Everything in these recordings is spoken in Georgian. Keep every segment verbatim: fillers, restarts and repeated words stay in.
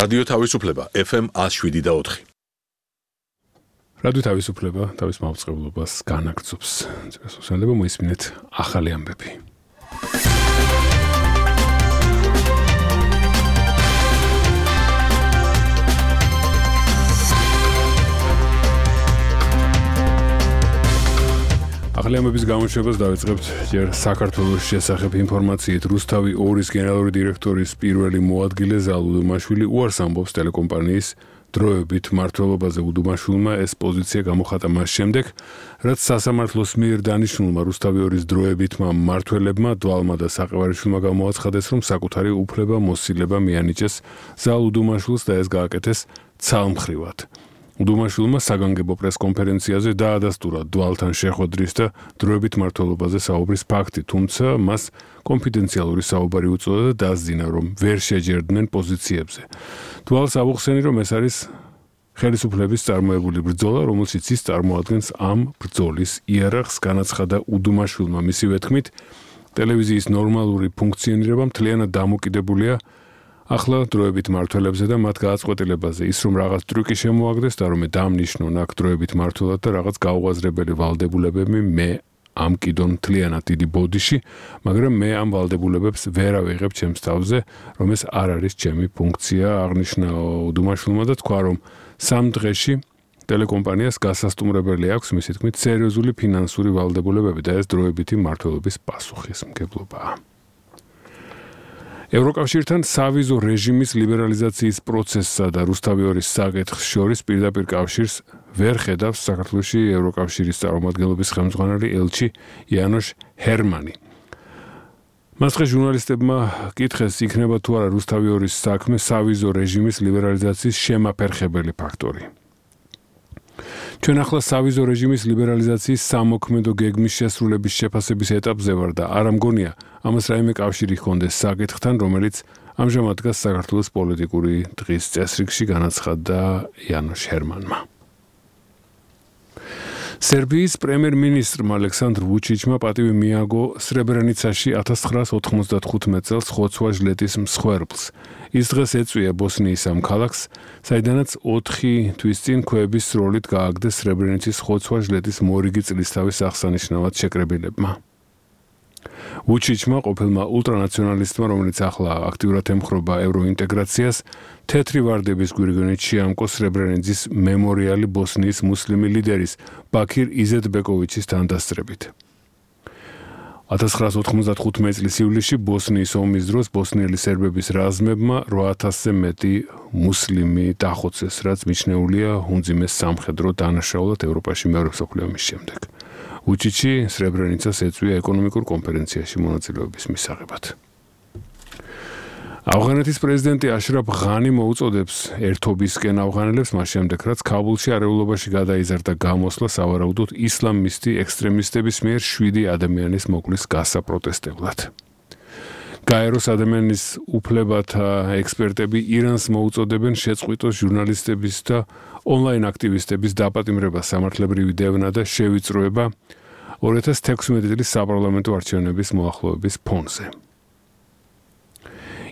რადიო თავისუფლება ეფ ემ one oh seven point four. რადიო თავისუფლება თავის მაუწყებლობას განაგრძობს. წესუსალება მოისმინეთ ახალი ამბები. ახალი ამბების გამოშვებას დავიწყებთ ჯერ საქართველოს შესახებ ინფორმაციით. რუსთავი ორის გენერალური დირექტორის პირველი მოადგილე ზალ უდუმაშვილი უარს ამბობს ტელეკომპანიის დროებით მმართველობაზე. უდუმაშვილმა ეს პოზიცია გამოხატა მას შემდეგ, რაც სასამართლოს მიერ დანიშნულმა რუსთავი ორის დროებითმა მმართველებმა დვალმა და საყევარიშვილმა გამოაცხადეს, რომ საკუთარი უფლება მოსილება მიანიჭეს ზალ უდუმაშვილს და ეს გააკეთეს ცალმხრივად. უდუმაშვილმა საგანგებო პრესკონფერენციაზე დაადასტურა დვალთან შეხვედრის და დროებით მმართველობაზე საუბრის ფაქტი, თუმცა მას კონფიდენციალური საუბარი უწოდა და დასძინა, რომ ვერ შეჯერდნენ პოზიციებზე. დვალს აღუხსენი, რომ ეს არის ხელისუფლების წარმოებული ბრძოლა, რომელშიც ის წარმოადგენს ამ ბრძოლის იარაღს. განაცხადა უდუმაშვილმა მისივე თქმით, ტელევიზიის ნორმალური ფუნქციონირება მთლიანად დამოკიდებულია ახლა დროებით მმართველებზე და მათ გააწყვეტილებაზე. ის რომ რაღაც ტრიკი შემოაგდეს და რომ დამნიშნონ აქ დროებით მმართველად და რაღაც გაუაზრებელი ვალდებულებები, მე ამ კიდონ მთლიანად დიდი ბოდიში, მაგრამ მე ამ ვალდებულებებს ვერ ავიღებ ჩემს თავზე, რომ ეს არ არის ჩემი ფუნქცია, აღნიშნა უდუმაშვილმა და თქვა, რომ სამ დღეში ტელეკომპანიას გასასტუმრებელი აქვს მისი თქმით სერიოზული ფინანსური ვალდებულებები და ეს დროებითი მმართველობის პასუხისმგებლობაა. ევროკავშირთან სავიზო რეჟიმის ლიბერალიზაციის პროცესსა და რუსთავი ორის საკითხს შორის პირდაპირ კავშირს ვერ ხედავს საქართველოში ევროკავშირის წარმომადგენლობის ხელმძღვანელი ელჩი იანოშ ჰერმანი. მას დღეს ჟურნალისტებმა კითხეს, იქნება თუ არა რუსთავი ორის საქმე სავიზო რეჟიმის ლიბერალიზაციის შემაფერხებელი ფაქტორი. ჩვენ ახლა სავიზო რეჟიმის ლიბერალიზაციის სამოქმედო გეგმის შესრულების შეფასების ეტაპზე ვარ და არ ამგონია ამას რაიმე კავშირი ჰქონდეს საკითხთან, რომელიც ამჟამად დგას საქართველოს პოლიტიკური დღის წესრიგში, განაცხადა იანოშ ჰერმანმა. სერბიის პრემიერ-მინისტრმა ალექსანდრ ვუჩიჩმა პატივი მიაგო სრებრენიცაში ათას ცხრაას ოთხმოცდათხუთმეტ წელს ხოცვა ჟლეტის მსხვერპლს. ის დღეს ეწვია ბოსნიის ამ ქალაქს, საიდანაც ოთხი თვის წინ ქვეების სროლით გააგდეს სრებრენიცის ხოცვა ჟლეტის მორიგი წლისთავის აღსანიშნავად შეკრებილებმა. ვუჩიჩმა, ყოფილმა ულტრანაციონალისტმა, რომელიც ახლა აქტიურად ემხრობა ევროინტეგრაციას, თეთრი ვარდების გვირგვინით შეამკო სრებრენიცის მემორიალი ბოსნიის მუსლიმი ლიდერის ბაქირ იზეტბეკოვიჩის თანდასწრებით. ათას ცხრაას ოთხმოცდათხუთმეტ წლის ივლისში ბოსნიის ომის დროს ბოსნიელი სერბების რაზმებმა რვა ათასზე მეტი მუსლიმი დახოცეს, რაც მიჩნეულია უმძიმეს სამხედრო დანაშაულად ევროპაში მეორე მსოფლიო ომის შემდეგ. ვუჩიჩი სრებრენიცას ეწვია ეკონომიკურ კონფერენციაში მონაწილეობის მისაღებად. ავღანეთის პრეზიდენტი აშრაფ ღანი მოუწოდებს ერთობისკენ ავღანელებს მას შემდეგ, რაც ქაბულში არეულობაში გადაიზარდა გამოსვლა სავარაუდოდ ისლამისტი ექსტრემისტების მიერ შვიდი ადამიანის მოკვლის გასაპროტესტებლად. გაეროს ადამიანის უფლებათა ექსპერტები ირანს მოუწოდებენ შეწყვიტოს ჟურნალისტების და ონლაინ აქტივისტების დაპატიმრება, სამართლებრივი დევნა და შევიწროება ორი ათას თექვსმეტი წლის საპარლამენტო არჩევნების მოახლოების ფონზე.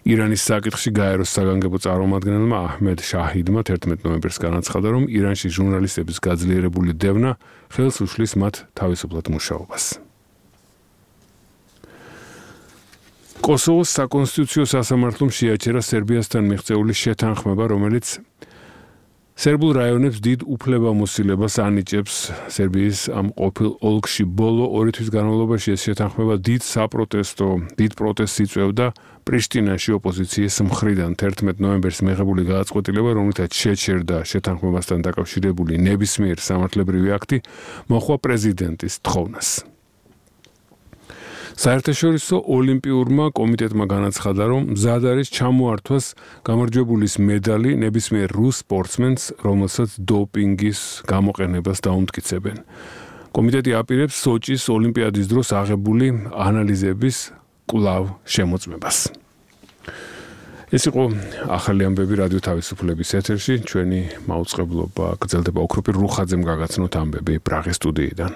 ირანის საკითხში გაეროს საგანგებო წარმომადგენელმა აჰმედ შაჰიდმა თერთმეტ ნოემბერს განაცხადა, რომ ირანში ჟურნალისტების გაძლიერებული დევნა ხელს უშლის მათ თავისუფლად მუშაობას. კოსოვოს საკონსტიტუციო სასამართლომ შეაჩერა სერბიასთან მიღწეული შეთანხმება, რომელიც სერბულ რაიონებს დიდ უფლებამოსილებას ანიჭებს. სერბიის ამ ყოფილ ოლქში ბოლო ორი თვის განმავლობაში ეს შეთანხმება დიდ საპროტესტო, დიდ პროტესტს იწვევდა პრიშტინაში ოპოზიციის მხრიდან. თერთმეტ ნოემბერს მიღებული გადაწყვეტილება, რომლითაც შეჩერდა შეთანხმებასთან დაკავშირებული ნებისმიერ სამართლებრივი აქტი, მოჰყვა პრეზიდენტის თხოვნას. საერთაშორისო ოლიმპიურმა კომიტეტმა განაცხადა, რომ მზად არის ჩამოართვას გამარჯვებულის მედალი ნებისმიერ რუს სპორტსმენს, რომელსაც დოპინგის გამოყენებას დაუმტკიცებენ. კომიტეტი აპირებს სოჭის ოლიმპიადის დროს აღებული ანალიზების კვლავ შემოწმებას. ეს იყო ახალი ამბები რადიო თავისუფლების ეთერში. ჩვენი მაუწყებლობა გრძელდება. ოქროპირ რუხაძემ გაგაცნოთ ამბები პრაღის სტუდიიდან.